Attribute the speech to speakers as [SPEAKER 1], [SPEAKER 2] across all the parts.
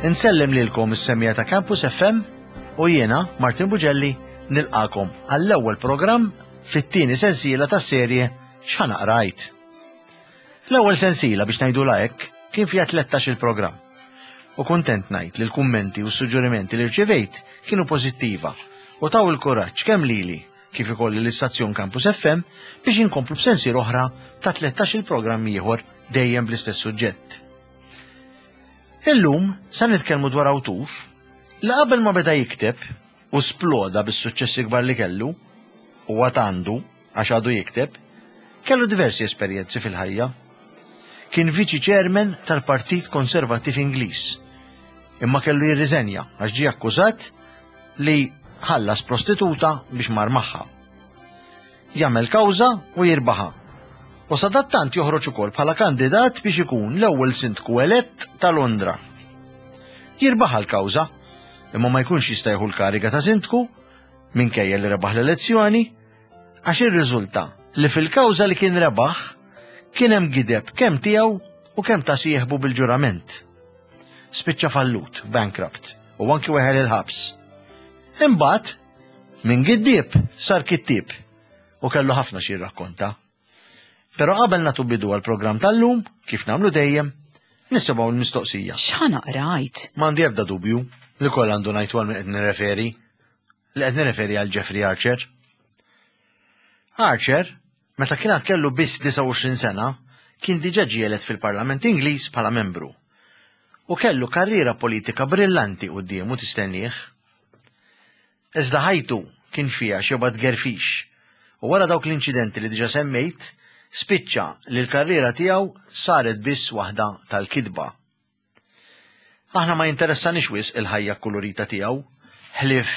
[SPEAKER 1] Insellem lilkom is-semmiegħa ta' Campus FM u jiena, Martin Bugelli, nilqakom għall-ewwel programm fit-tieni sensiela tas-serje X'ħa naqra għid. L-ewwel sensiela biex ngħidulha hekk kien fiha 13 il-programm. U kuntent ngħid li l-kummenti u s-suġġerimenti li rċevejt kienu pożittiva u taw il-kuraġġ kemm lili kif ukoll lill-istazzjon Campus FM biex inkomplu b'sensiela oħra ta' 13 il-programm ieħor dejjem bl-istess suġġett. Illum sa nitkellmu dwar awtur li qabel ma beda jikteb u sploda bis-suċċessi kbar li kellu, u għad għandu għax għadu jikteb, kellu diversi esperjenzi fil-ħajja. Kien viċi chairman tal-Partit Konservattiv Ingliż, imma kellu jirriżenja għax ġie akkużat li ħallas prostituta biex mar magħha. Jagħmel kawża u jirbaħha. U sadattant joħroġ ukoll bħala kandidat biex ikun l-ewwel sindku elett ta' Londra. Jirbaħha l-kawża, imma ma jkunx jista' jieħu l-kariga ta' sindku minkejja li rebaħ l-elezzjoni għax irriżulta li fil-kawża li kien rebaħ kien hemm gideb kemm tiegħu u kemm ta' sieħbu bil-ġurament. Spiċċa fallut, bankrupt, u anki weħel il-ħabs. Imbagħad, minn giddieb sar kittieb u kellu ħafna xi jirrakkonta. Però qabel nagħtu bidu għall-programm tal-lum, kif nagħmlu dejjem, nisimgħu l-mistoqsija.
[SPEAKER 2] X'ħa naqra għid?
[SPEAKER 1] M'għandi ebda dubju li kollha għandu ngħid għal min qed nirreferi. Li qed nirreferi għal Jeffrey Archer. Archer, meta kien għad kellu biss 29 sena, kien diġà ġie elett fil-Parlament Ingliż bħala membru. U kellu karriera politika brillanti quddiemu tistennieh. Iżda ħajtu kien fiha xebgħa tgerfix u wara dawk l-inċidenti li diġà semmejt, spiċċa li l-karriera tiegħu saret biss waħda tal-kitba. Aħna ma jinteressanix wisq il-ħajja kkulurita tiegħu, ħlief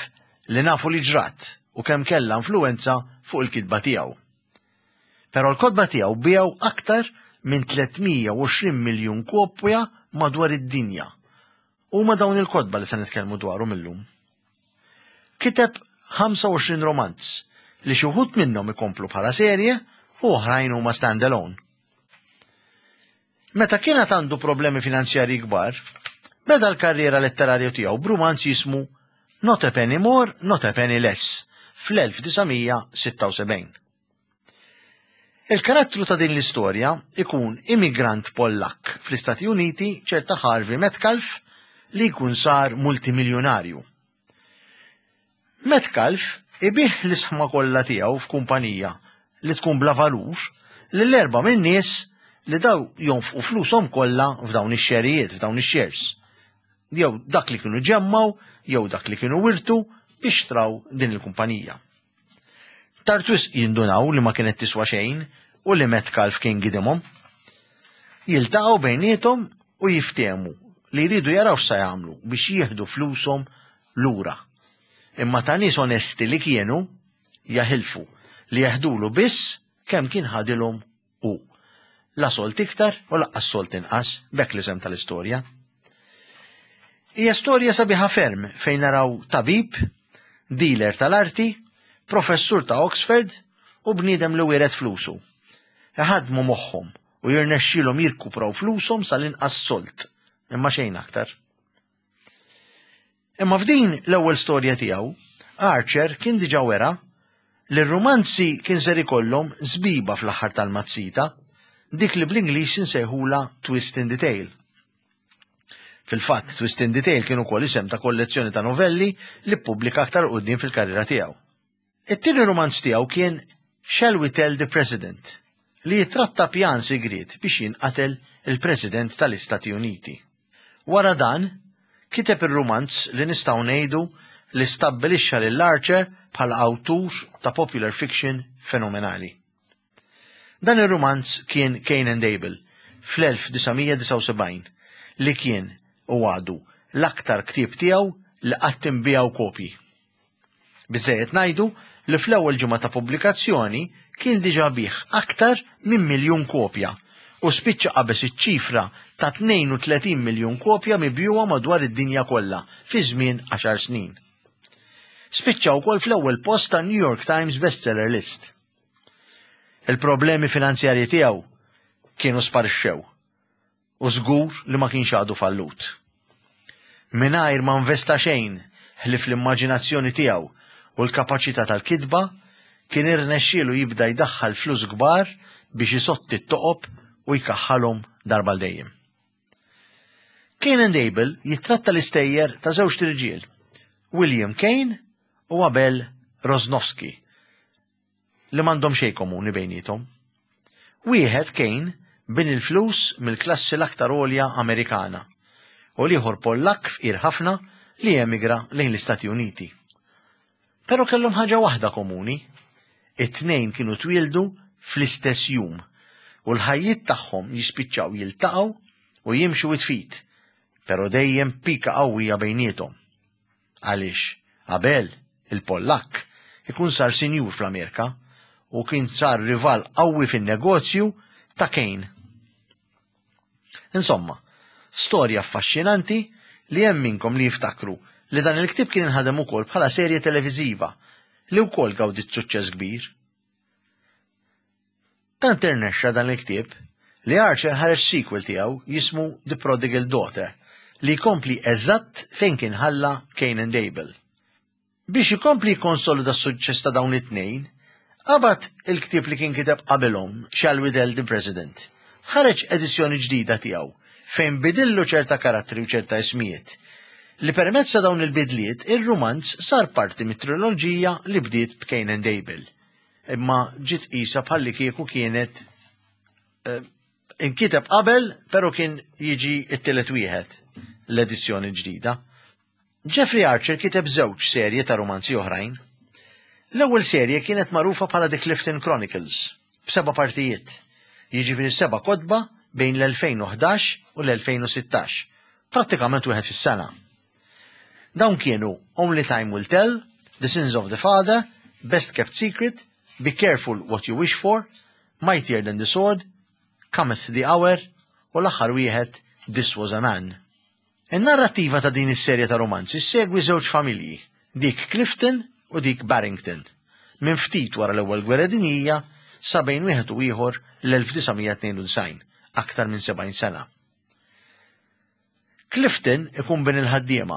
[SPEAKER 1] li nafu li ġrat u kemm kellha influwenza fuq il-kitba tiegħu. Però l-kotba tiegħu biegħu aktar minn 320 miljun kopja madwar id-dinja Huma dawn il-kotba li se nitkellmu dwarhom illum. Kiteb 25 romanz li xi wħud minnhom ikomplu bħala serje u oħrajn huma stand-alone. Meta kien għad għandu problemi finanzjarji kbar, beda l-karriera letterarja tiegħu b'rumanz jismu Not a Penny More, Not a Penny Less fl-1976. Il-karattru ta' din l-istorja ikun immigrant Pollakk fl-Istati Uniti ċerta Harvey Metcalf li jkun sar multimiljunarju. Metcalf ibigħ l-isħma kollha tiegħu f'kumpanija li tkun bla valur lil erba' min-nies li daw jonfqu flushom kollha f'dawn ix-xerijiet, f'dawn ix-shares. Jew dak li kienu ġemmgħu jew dak li kienu wirtu biex xtraw din il-kumpanija. Tard wisq jindunaw li ma kienet tiswa xejn u li Metcalf kien gidimhom. Jiltaqgħu bejniethom u jiftehmu li jridu jaraw x'sa jagħmlu biex jieħdu flushom lura. Imma ta' nies onesti li kienu, jaħilfu li jeħdulu biss kemm kien ħadilhom hu. La solt iktar u laqqas solt inqas, b'hekk l-isem tal-istorja. Hija storja sabiħa ferm fejn naraw tabib, dealer tal-arti, professur ta' Oxford u bniedem li wiret flusu. Iħaddmu moħħhom u jirnexxielhom jirkupraw flushom sal-inqas solt, imma xejn aktar. Imma f'din l-ewwel storja tiegħu, Archer kien diġà wera li r-rumanzi kien ser ikollhom żbiba fl-aħħar tal-mazzita, dik li bl-Ingliż insejħulha twist in the tale. Fil-fatt, Twist in the Tale kien ukoll isem ta' kollezzjoni ta' novelli li ppubblika aktar quddiem fil-karriera tiegħu. It-tieni rumanz tiegħu kien Shall We Tell the President? li jittratta pjan sigriet biex jinqatel il-President tal-Istati Uniti. Wara dan, kiteb ir-rumanz li nistgħu ngħidu li stabbilixxa lil Archer bħala awtur ta' popular fiction fenomenali. Dan ir-rumanz kien Cain and Abel fl-1979 li kien u għadu l-aktar ktieb tiegħu li qatt inbiegħu kopji. Biżżejjed ngħidu li fl-ewwel ġimgħa ta' pubblikazzjoni kien diġà biegħ aktar minn miljun kopja u spiċċa qabeż iċ-ċifra ta' 32 miljun kopja mibjugħa madwar id-dinja kollha fi żmien għaxar snin. Spiċċa wkoll fl-ewwel post tan-New York Times Bestseller List. Il-problemi finanzjarji tiegħu kienu sparixxew u żgur li ma kienx għadu fallut. Mingħajr ma nvesta xejn ħlief l-immaġinazzjoni tiegħu u l-kapaċità tal-kitba, kien irnexxielu jibda jdaħħal flus kbar biex isotti t-toqob u jkaħħalhom darba għal dejjem. Cain and Abel jittratta l-istejjer ta' żewġt irġiel, William Cain u Abel Rosnowski, li m'għandhom xejn komuni bejniethom. Wieħed, Cain, bin il-flus mill-klassi l-aktar għolja Amerikana, u l-ieħor Pollakk fqir ħafna li emigra lejn l-Istati Uniti. Però kellhom ħaġa waħda komuni, it-tnejn kienu twieldu fl-istess jum u l-ħajjiet tagħhom jispiċċaw jiltaqgħu u jimxu id f'id, però dejjem pika qawwija bejniethom. Għaliex Abel, il-Pollakk, ikun sar sinjur fl-Amerika u kien sar rival qawwi fin-negozju ta' Cain. Insomma, storja affaxxinanti li hemm minnkom li jiftakru li dan il-ktieb kien inħadem ukoll bħala serje televiżiva li wkoll gawdiet suċċess kbir. Tant irnexxa dan il-ktieb li Archer ħareġ sequel tiegħu jismu The Prodigal Daughter li jkompli eżatt fejn kien ħalla Cain and Abel. Biex ikompli jikkonsolida s-suċċess ta' dawn it-tnejn, qabad il-ktieb li kien kiteb qabilhom, Shall We Tell the President? Ħareġ edizzjoni ġdida tiegħu fejn bidillu ċerta karattri u ċerta ismijiet, li permezz ta' dawn il-bidliet ir-rumanz sar parti mit-triloġija li bdiet b'Cain and Abel, imma ġiet qisha bħallikieku kienet eh, inkiteb qabel, pero kien jiġi t-tielet wieħed l-edizzjoni ġdida. Jeffrey Archer kiteb żewġ serje ta' rumanzi oħrajn. L-ewwel serje kienet magħrufa bħala The Clifton Chronicles, b'seba' partijiet, jiġifieri seba' kotba bejn l-2011 u l-2016, prattikament wieħed fis-sena. Dawn kienu Only Time Will Tell, The Sins of the Father, Best Kept Secret, Be Careful What You Wish For, Mightier Than the Sword, Cometh the Hour u l-aħħar wieħed This Was a Man. In-narrattiva ta' din is-serje ta' rumanzi ssegwi żewġ familji, dik Clifton u dik Barrington, minn ftit wara l-Ewwel Gwerra Dinjija sa bejn wieħed u ieħor l-1992, aktar minn 70 sena. Clifton ikun bin il-ħaddiema,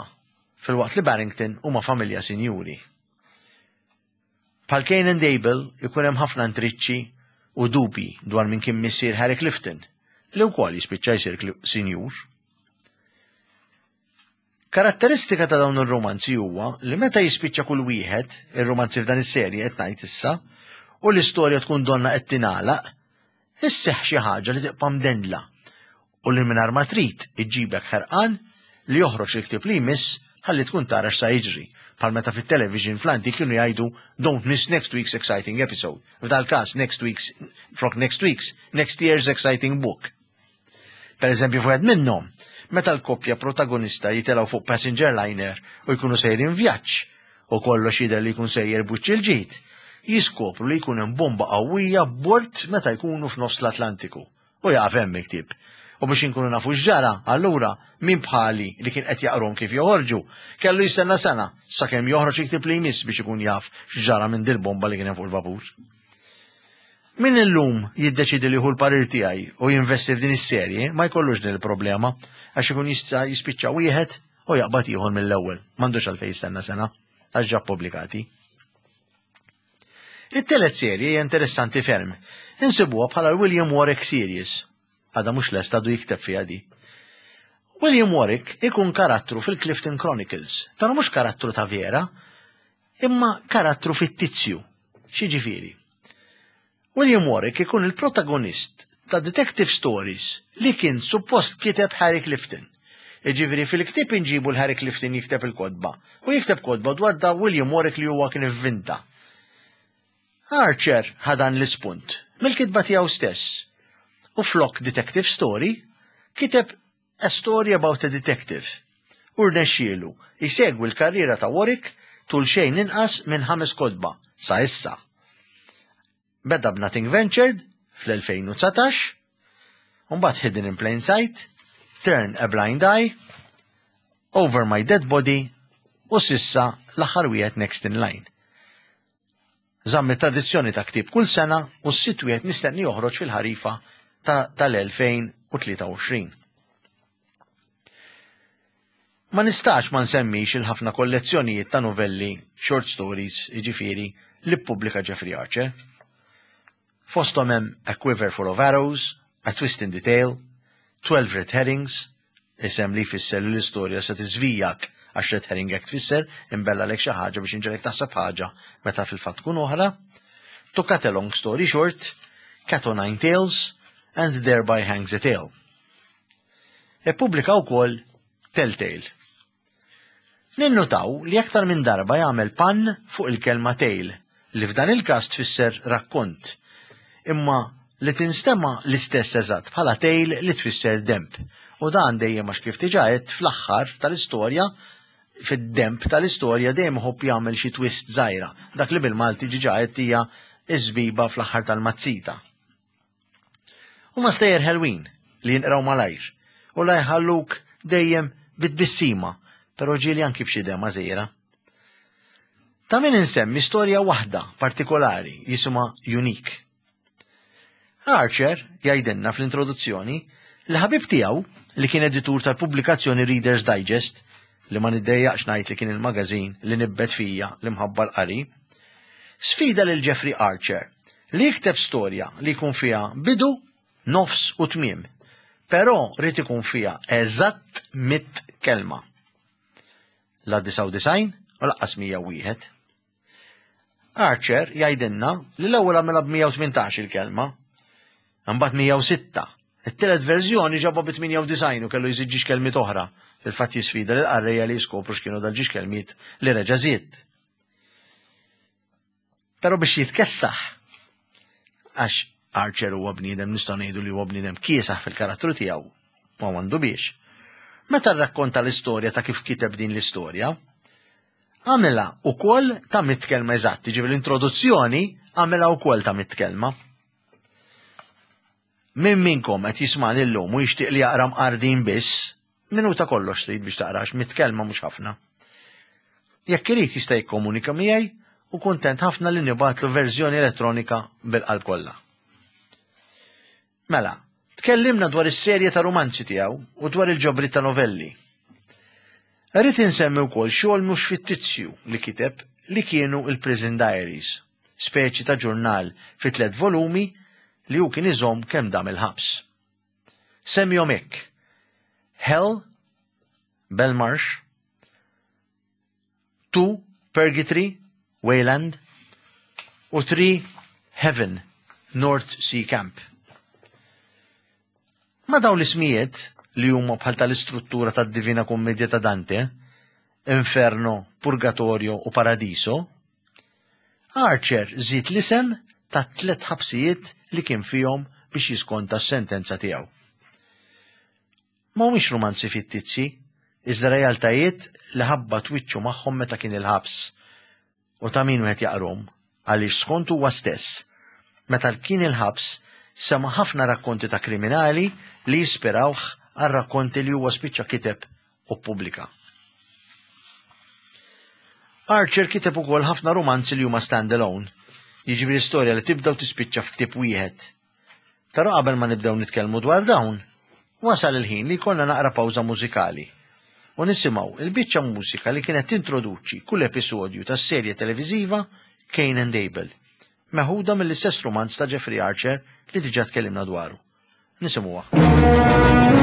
[SPEAKER 1] filwaqt li Barrington huma familja sinjuri. Bħal Cain and Abel ikun hemm ħafna intriċċi u dubji dwar min kien missier Harry Clifton, li wkoll jispiċċa jsir sinjur. Karatteristika ta' dawn ir-romanzi huwa li meta jispiċċa kull wieħed, ir-romanzi f'dan is-serje qed ngħid issa, u l-istorja tkun donna qed tingħalaq, isseħħ xi ħaġa li tibqa' mdendla u li mingħajr ma trid iġġibek ħerqan li joħroġ il-ktieb li jmiss ħalli tkun tara x'sa jiġri, bħal meta fit-television fl-antik kienu jgħidu don't miss next week's exciting episode. F'dal-każ next week's, flok next week's, next year's exciting book. Per eżempju, f'wieħed minnhom, meta l-koppja protagonista jitilgħu fuq passenger liner u jkunu sejrin vjaġġ u kollox jidher li jkun sejjer b'wiċċ il-ġid, jiskopru li jkun hemm bomba qawwija b'bord meta jkunu f'nofs l-Atlantiku. U jaqaf hemm il-ktieb. U biex inkunu nafu x'ġara, allura, min bħali li kien qed jaqrahom kif joħorġu, kellu jistenna sena sakemm joħroġ il-ktieb li jmiss biex ikun jaf x'ġara minn dil-bomba li kien hemm fuq il-vapur. Min illum jiddeċiedi li jieħu l-parir tiegħi u jinvesti f'din is-serje ma jkollux din il-problema għax ikun jista' jispiċċa wieħed u jaqbad ieħor mill-ewwel. M'għandux għalfejn jistenna sena għax ġa ppubblikati. It-tielet serje hija interessanti ferm. Insibuha bħala l-William Warwick Series. Għadha mhux lesta għadu jikteb fiha di. William Warwick ikun karattru fil-Clifton Chronicles, però mhux karattru ta' vera, imma karattru fittizju. X'jiġifieri? William Warwick ikun il-protagonist ta' detective stories li kien suppost kiteb Harry Clifton. Jiġifieri fil-ktieb inġibu l-Harry Clifton jikteb il-kotba u jikteb kotba dwar da William Warwick li huwa kien ivvinta. Archer ħa dan l-ispunt mill-kitba tiegħu stess u flok detective story kiteb A Story About a Detective u rnexxielu jsegwi l-karriera ta' Warwick tul xejn inqas minn ħames kotba sa issa. Beda b'Nothing Ventured fl-2019, u mbagħad Hidden in Plain Sight, Turn a Blind Eye, Over My Dead Body u s'issa l-aħħar wieħed Next in Line. Żamm it-tradizzjoni ta' ktieb kull sena u s-sitt wieħed mistenni joħroġ fil-ħarifa ta' tal-2023. Ma nistax ma nsemmix il-ħafna kollezzjonijiet ta' novelli, short stories, jiġifieri, li ppubblika Jeffrey Archer. Fosthom hemm A Quiver Full of Arrows, A Twist in the Tale, 12 Red Herrings, isem li jfisser li l-istorja se tiżvijak għax red herring hekk tfisser, imbella lek xi ħaġa biex inġegħlek taħseb ħaġa meta fil-fatt tkun oħra, To Cut a Long Story Short, Cat o' Nine Tails, and Thereby Hangs a Tale. Ippubblika wkoll Telltale. Ninnutaw li aktar minn darba jagħmel pan fuq il-kelma tale, li f'dan il-każ tfisser rakkont, imma li tinstema' l-istess eżatt bħala tail li tfisser denb. U dan dejjem għax kif diġà għedt fl-aħħar tal-istorja, fid-denb tal-istorja dejjem iħobb jagħmel xi twist żgħira, dak li bil-Malti diġà għedt hija ż-żbiba fl-aħħar tal-mazzita. Huma stejjer ħelwin li jinqraw malajr u la jħalluk dejjem bit-tbissima, però ġieli anki b'xi dema żgħira. Ta' min insemmi storja waħda partikolari jisimha Unique. Archer jgħidilna fl-introduzzjoni li ħabib tiegħu li kien editur tal-pubblikazzjoni Reader's Digest li ma niddejjaqx ngħid li kien il-magazin li nibbet fija l-imħabba l-qari, sfida lil Jeffrey Archer li jikteb storja li jkun fiha bidu, nofs u tmiem. Però rrid ikun fiha eżatt mit kelma. La 99 u laqqas 101. Archer jgħidilna li l-ewwel għamilha b'118 il-kelma, imbagħad 106. It-tielet verżjoni ġabha bi 98 u kellu jżid ġiex kelmiet oħra. Fil-fatt jisfida lil qarrejja li jiskopru x'kienu dal-ġiex kelmiet li reġa' żied. Però biex jitkessaħ, għax Archer huwa bniedem nistgħu ngħidu li huwa bniedem kiesaħ fil-karattru tiegħu, ma għandu biex. Meta rrakkonta l-istorja ta' kif kiteb din l-istorja, għamilha ukoll ta' mit kelma eżatt, jiġifieri l-introduzzjoni għamilha wkoll ta' mit kelma. Min minnkom qed jismani llum u jixtieq li jaqra mqardin biss, minuta kollox trid biex taqrax mit kelma mhux ħafna. Jekk irid jista' jikkomunika miegħi u kuntent ħafna li nibgħatlu verżjoni elettronika bil-qalb kollha. Mela, tkellimna dwar is-serje ta' rumanzi tiegħu u dwar il-ġabriet ta' novelli. Rrid insemmi wkoll xogħol mhux fittizju li kiteb li kienu il-Prison Diaries, speċi ta' ġurnal fi tliet volumi li hu kien iżomm kemm dam il-ħabs. Semmihom hekk: Hell, Belmarsh, 2 Purgatory, Wayland, u 3 Heaven, North Sea Camp. Ma' dawn l-ismijiet, li huma bħal tal-istruttura tad-Divina Kummedja ta' Dante, Inferno, Purgatorio u Paradiso, Archer żied l-isem tat-tliet ħabsijiet li kien fihom biex jiskonta s-sentenza tiegħu. Ma humiex rumanzi fittizji, iżda realtajiet li ħabbat wiċċu magħhom meta kien il-ħabs. U ta' min wieħed jaqrhom, għaliex skont huwa stess, meta kien il-ħabs sema' ħafna rakkonti ta' kriminali li jispirawh għar-rakkonti li huwa spiċċa kiteb u ppubblika. Archer kiteb ukoll ħafna rumanzi li huma stand-alone, jiġifieri storja li tibda u tispiċċa f'ktieb wieħed. Però qabel ma nibdew nitkellmu dwar dawn, wasal il-ħin li jkollna naqra pawża mużikali u nisimgħu il-biċċa mużika li kienet tintroduċi kull episodju tas-serje televiżiva Cain and Abel, meħuda mill-istess rumanz ta' Jeffrey Archer li diġà tkellimna dwaru. Nisimgħuha.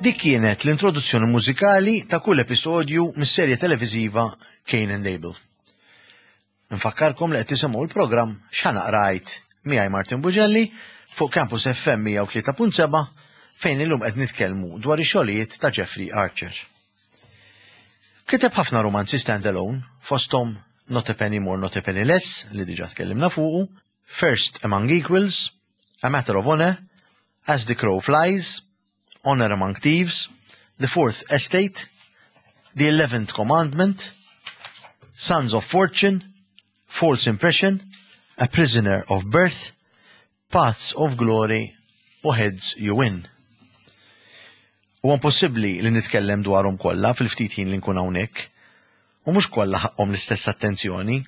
[SPEAKER 1] Dik kienet l-introduzzjoni mużikali ta' kull episodju mis-serje televiżiva Cain and Abel. Nfakkarkom li qed tisimgħu l-programm X'Ħa Naqra Għid miegħi Martin Bugelli fuq Campus FM 103.7 fejn illum qed nitkellmu dwar ix-xogħlijiet ta' Jeffrey Archer. Kiteb ħafna romanzi stand-alone, fosthom Not a Penny More, Not a Penny Less, li diġà tkellimna fuqu, First Among Equals, A Matter of Honor, As the Crow Flies, Honor Among Thieves, The Fourth Estate, The Eleventh Commandment, Sons of Fortune, False Impression, A Prisoner of Birth, Paths of Glory u Heads You Win. Huwa impossibbli li nitkellem dwarhom kollha fil-ftit ħin li nkun hawnhekk. U mhux kollha ħaqqhom l-istess attenzjoni.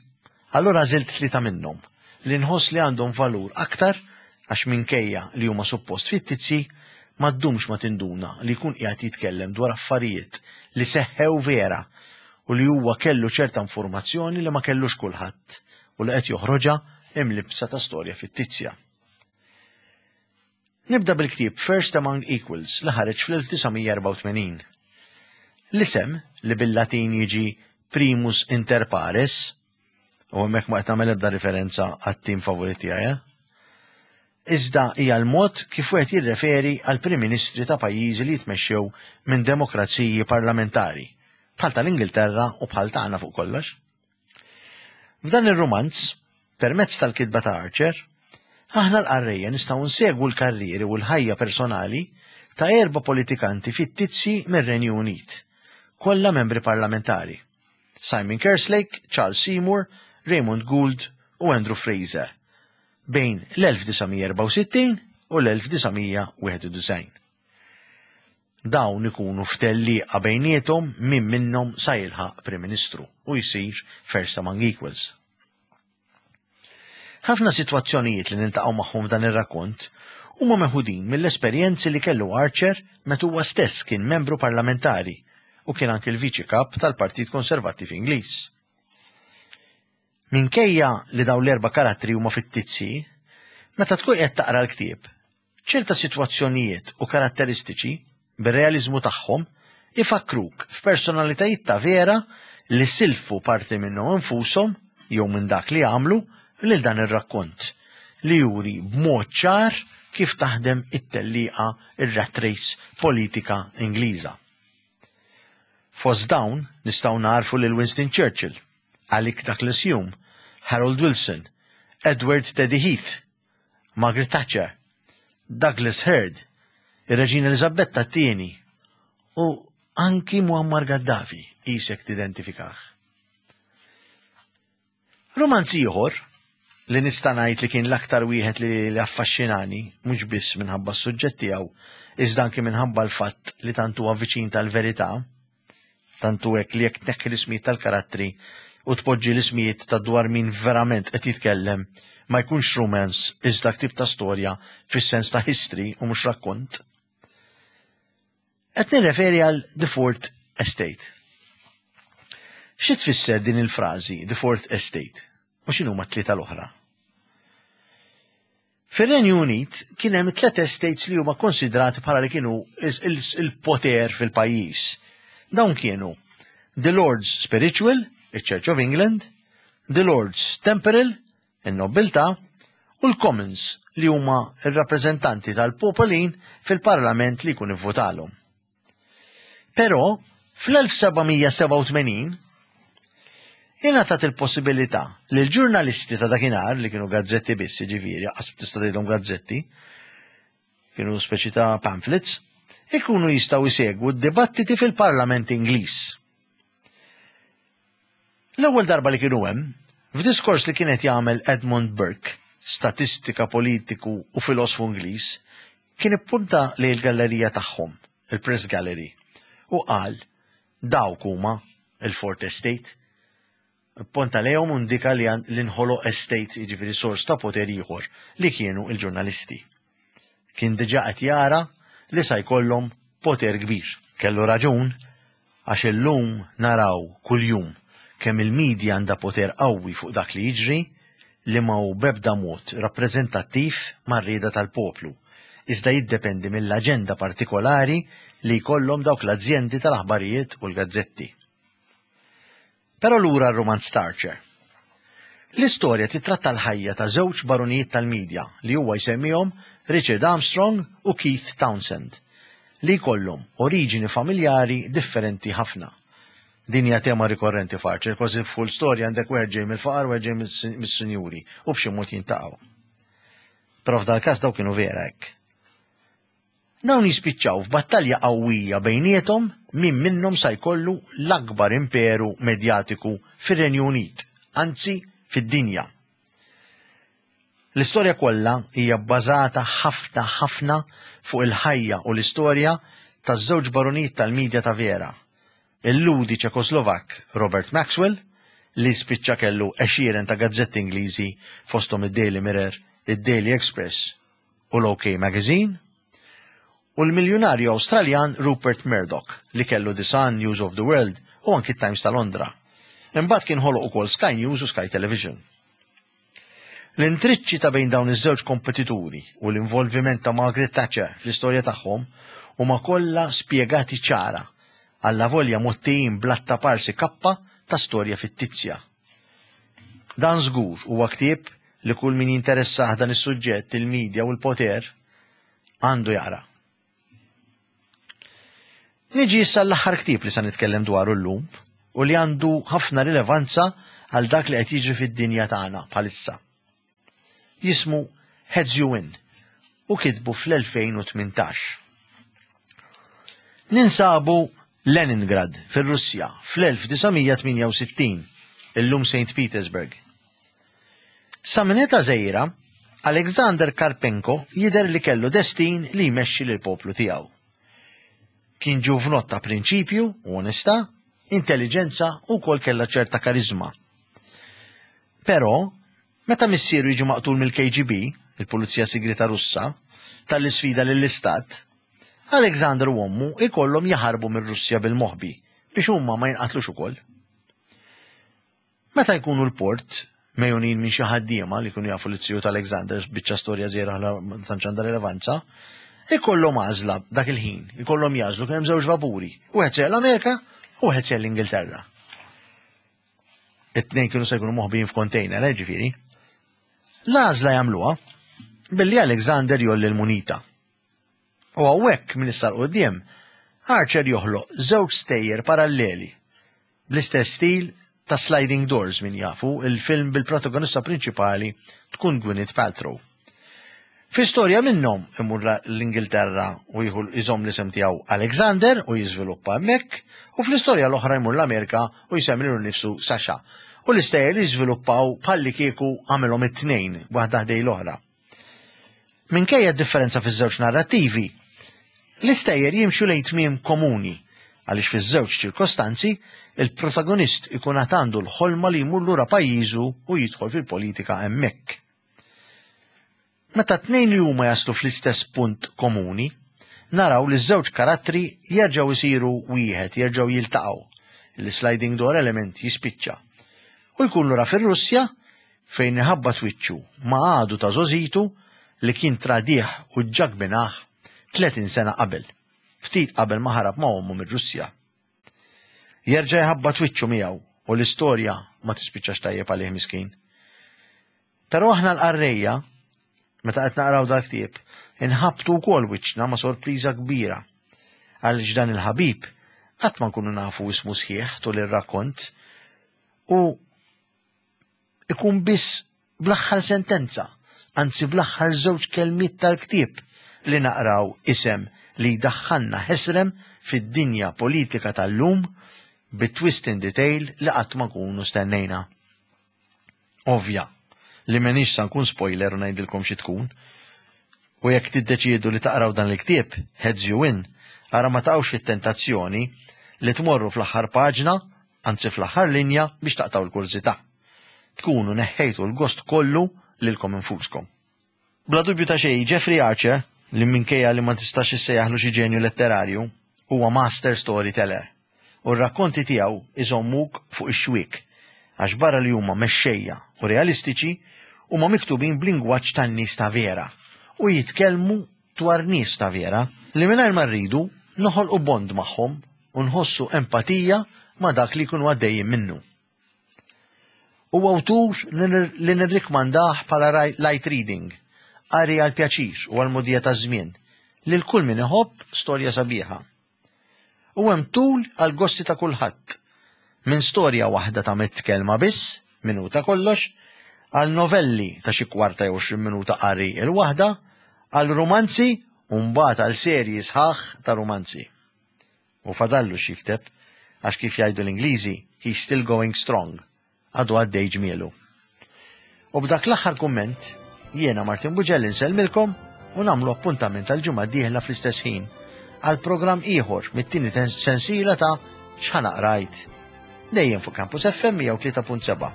[SPEAKER 1] Allura għażilt tlieta minnhom li nħoss li għandhom valur aktar għax minkejja li huma suppost fittizji, ma ddumx ma tinduna li jkun qiegħed jitkellem dwar affarijiet li seħħew vera u li huwa kellu ċerta informazzjoni li ma kellux kulħadd u li qed joħroġha imlibbsa ta' storja fittizja. Nibda bil-ktieb First Among Equals li ħareġ fl-1984. L-isem, li bil-Latin jiġi Primus Inter Pares, u hemmhekk ma qed nagħmel ebda riferenza għat-tim favorit tiegħi, eh? Iżda hija l-mod kif wieħed jirreferi għal Prim Ministri ta' pajjiżi li jitmexxew minn demokraziji parlamentari, bħal tal-Ingilterra u bħal tagħna fuq kollox. F'dan ir-rumanz, permezz tal-kitba ta' Archer, aħna l-qarrejja nistgħu nsegwu l-karrieri u l-ħajja personali ta' erba' politikanti fittizji mir-Renju Unit, kollha membri parlamentari, Simon Kerslake, Charles Seymour, Raymond Gould u Andrew Fraser, bejn l-1964 u l-1991. Dawn ikunu f'tellieqa bejniethom min minnhom sa jilħaq Prim Ministru u jsir first among equals. Ħafna sitwazzjonijiet li niltaqgħu magħhom f'dan ir-rakkont huma meħudin mill-esperjenzi li kellu Archer meta huwa stess kien membru parlamentari u kien anki l-Viċi Kap tal-Partit Konservattiv Ingliż. Minkejja li dawn l-erba' karattri huma fittizji, meta tkun qed taqra l-ktieb, ċerta sitwazzjonijiet u karatteristiċi, bir-realiżmu tagħhom, ifakkruk f'personalitajiet ta' vera li silfu parti minnhom infushom jew minn dak li għamlu lil dan ir-rakkont, li juri b'mod ċar kif taħdem it-tellieqa ir-rat race politika Ingliża. Fost dawn nistgħu nagħrfu lil Winston Churchill, Alec Douglas Hume, Harold Wilson, Edward Teddy Heath, Margaret Thatcher, Douglas Hurd, ir-Reġina Eliżabetta t-Tieni u anki Muammar Gaddafi qisek tidentifikah. Rumanz ieħor li nista' ngħid li kien l-aktar wieħed li affaxxinani mhux biss minħabba s-suġġett tiegħu iżda anki minħabba l-fatt li tant huwa viċin tal-verità, Tant hu hekk li jekk tneħħi l-ismijiet tal-karattri u tpoġġi l-ismijiet ta' dwar min verament qed jitkellem, ma jkunx romance iżda ktieb ta' storja fis-sens ta' history u mhux rakkont. Qed nirreferi għal The Fourth Estate. Xi tfisser din il-frażi The Fourth Estate u x'inhuma t-tlieta l-oħra? Fir-Renju Unit kien hemm tlet estates li huma konsidrati bħala li kienu il-poter fil-pajjiż. Dawn kienu The Lords Spiritual, iċ-Church of England, The Lords Temporal, in-nobbiltà, u l-Commons li huma r-rappreżentanti tal-popolin fil-parlament li jkun ivvutalhom. Però fl-1787 ingħatat il-possibilità li l-ġurnalisti ta' dakinhar li kienu gazzetti biss, jiġifieri, qas tista' tgħidhom gazzetti, kienu speċi ta' pamphlets, ikunu jistgħu jsegwu d-dibattiti fil-Parlament Ingliż. L-ewwel darba li kienu hemm, f'diskors li kien qed jagħmel Edmund Burke, statistika politiku u filosfu Ingliż, kien ippunta lejn il-gallerija tagħhom, il-Press Gallery, u qal dawk huma il-Fort Estate. Ipponta lejhom u ndika li nħoloq estate, jiġifieri sors ta' poter ieħor, li kienu l-ġurnalisti. Kien diġà qed jara li sa jkollhom poter kbir. Kellu raġun għax illum naraw kuljum kemm il-media għandha poter qawwi fuq dak li jiġri li ma hu b'ebda mod rappreżentattiv mar-rieda tal-poplu, iżda jiddependi mill-aġenda partikolari li jkollhom dawk l-azjendi tal-aħbarijiet u l-gazzetti. Però lura r-rumanz t'Archer. L-istorja titratta l-ħajja ta' żewġ barunijiet tal-medja li huwa jsemmihom Richard Armstrong u Keith Townsend, li jkollhom oriġini familjari differenti ħafna. Din hija tema rikorrenti f'Archer, kważi f'kull storja għandek wieħed ġej mill-faqar u wieħed ġej mis-sinjuri u b'xi mod jintaqgħu. Però f'dal-każ daw kienu vera hekk. Dawn jispiċċaw f'battalja qawwija bejniethom min minnhom sa jkollu l-akbar imperu medjatiku fir-Renju Unit, anzi fid-dinja. L-istorja kollha hija bbażata ħafna ħafna fuq il-ħajja u l-istorja taż-żewġ barunijiet tal-midja ta' vera, il-Lhudi Ċekoslovakk Robert Maxwell, li spiċċa kellu għexieren ta' gazzetti Ingliżi fosthom id-Daily Mirror, id-Daily Express u l-OK Magazine, u l-miljunarju Awstraljan Rupert Murdoch li kellu The Sun, News of the World u anki t-Times ta' Londra. Imbagħad kien ħoloq ukoll Sky News u Sky Television. L-intriċċi ta' bejn dawn iż-żewġ kompetituri u l-involviment ta' Margaret Thatcher fl-istorja tagħhom huma kollha spjegati ċara, allavolja mgħottijin bl-atta parsi kappa ta' storja fittizja. Dan żgur huwa ktieb li kull min jinteressah dan is-suġġett, il-media u l-poter, għandu jaqra. Niġi issa l-aħħar ktieb li sa nitkellem dwaru llum u li għandu ħafna rilevanza għal dak li qed jiġri fid-dinja tagħna bħalissa. Jismu Heads You Win u kitbu fl-2018. Ninsabu Leningrad fir-Russja fl-1968, illum St. Petersburg. Sa minn età żgħira, Alexander Karpenko jidher li kellu destin li jmexxi lill-poplu tiegħu. Kien ġuvnott ta' prinċipju u onestà, intelliġenza u wkoll kellha ċerta kariżma. Però, meta missieru jiġi maqtul mill-KGB, il-Pulizija Sigrieta Russa, talli sfida lill-Istat, Alexander u ommu jkollhom jaħarbu mir-Russja bil-moħbi biex huma ma jinqatlux ukoll. Meta jkunu l-port, megħjunin minn xi ħaddiema li jkunu jafu lit-tiju ta' Alexander, biċċa storja żgħira ħla ma tantx għandha rilevanza, ikollhom għażla dak il-ħin, ikollhom jagħżlu kien hemm żewġ vapuri, wieħed sejjer l-Amerika u wieħed sejjer l-Ingilterra. It-tnejn kienu se jkunu moħbijin f'kontejner, eh, ġifieri. L-għażla jagħmluha billi Alexander jolli l-munita. U hawnhekk minn issa 'l quddiem, Archer joħloq żewġ stejjer paralleli bl-istess stil ta' Sliding Doors min jafu, il-film bil-protagonista prinċipali tkun Gwyneth Paltrow. Fi storja minnhom imur l-Ingilterra u jieħu jżomm l-isem tiegħu Alexander u jiżviluppa hemmhekk, u fl-istorja l-oħra jmur l-Amerika u jsemmi lilu nnifsu Sasha. U l-istejjer jiżviluppaw bħallikieku għamilhom it-tnejn waħda ħdej l-oħra. Minkejja d-differenza fiż-żewġ narrattivi, l-istejjer jimxu lejn tmiem komuni għaliex fiż-żewġ ċirkostanzi il-protagonist ikun għad għandu l-ħolma li jmur lura pajjiżu u jidħol fil-politika hemmhekk. Meta t-tnejn li huma jaslu fl-istess punt komuni, naraw li ż-żewġ karattri jerġgħu jsiru wieħed, jerġgħu jiltaqgħu. Il-sliding door element jispiċċa. U jkun lura fir-Russja fejn iħabbat wiċċu ma' għadu ta' żgħożitu li kien tradih u ġġagbinah 30 sena qabel, ftit qabel ma ħarab ma' ommu mir-Russja. Jerġa' jħabbat wiċċu miegħu u l-istorja ma tispiċċax tajjeb għalih miskin. Però aħna l-qarrejja, meta qed naqraw dal-ktieb, inħabbtu wkoll wiċċna ma' sorpriża kbira għaliex dan il-ħabib qatt ma nkunu nafu ismu sħiħ tul ir-rakkont u ikun biss bl-aħħar sentenza, anzi bl-aħħar żewġ kelmiet tal-ktieb li naqraw isem li jdaħħalna ħesrem fid-dinja politika tal-lum bi twist in detail li qatt ma nkunu stennejna. Ovvja li m'inix sa nkun spoiler u ngħidilkom xi tkun. U jekk tiddeċiedu li taqraw dan il-ktieb, Heads You Win, ara ma taqgħux fit-tentazzjoni li tmorru fl-aħħar paġna anzi fl-aħħar linja biex taqtgħu l-kurżità. Tkunu neħħejtu l-gost kollu lilkom infuskom. Bla dubju ta' xejn, Jeffrey Archer, li minkejja li ma tistax issejjaħlu xi ġenju letterarju, huwa master storyteller. U r-rakkonti tiegħu iżommuk fuq ix-xwiek, għax barra li huma mexxejja u realistiċi, huma miktubin b'lingwaġġ tan-nies ta' vera u jitkellmu. dwar nies ta' vera li mingħajr ma rridu noħolqu bond magħhom u nħossu empatija ma' dak li jkunu għaddejjin minnu. Huwa awtur li nirrikmandah bħala light reading, qari għal pjaċir u għal mogħdija taż-żmien, lil kull min iħobb storja sabiħa. U hemm tul għal gosti ta' kulħadd. Minn storja waħda ta' mitt kelma biss, minuta kollox, għal novelli ta' xi kwarta jew 20 minuta qari il-waħda, għal rumanzi u mbagħad għal serji sħaħ ta' rumanzi. U fadallu x'jikteb, għax kif jgħidu l-Ingliżi, he's still going strong. Għadu għaddej ġmielu. U b'dak l-aħħar kumment, jiena Martin Buġell insellmilkom u nagħmlu appuntament għal ġimgħa dieħla fl-istess ħin għal programm ieħor mit-tieni sensiela ta' X'ħa Naqrajt. Dejjem fuq Campus FM 103.7.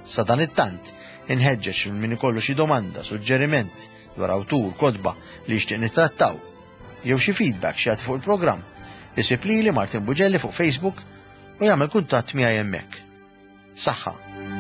[SPEAKER 1] Sa dan it-tant, inħeġġeġ lil min ikollu xi domanda, suġġeriment dwar awtur, kotba li jixtieq nittrattaw, jew xi feedback xi jagħti fuq il-programm, isib lili Martin Bugelli fuq Facebook u jagħmel kuntatt miegħi hemmhekk. Saħħa!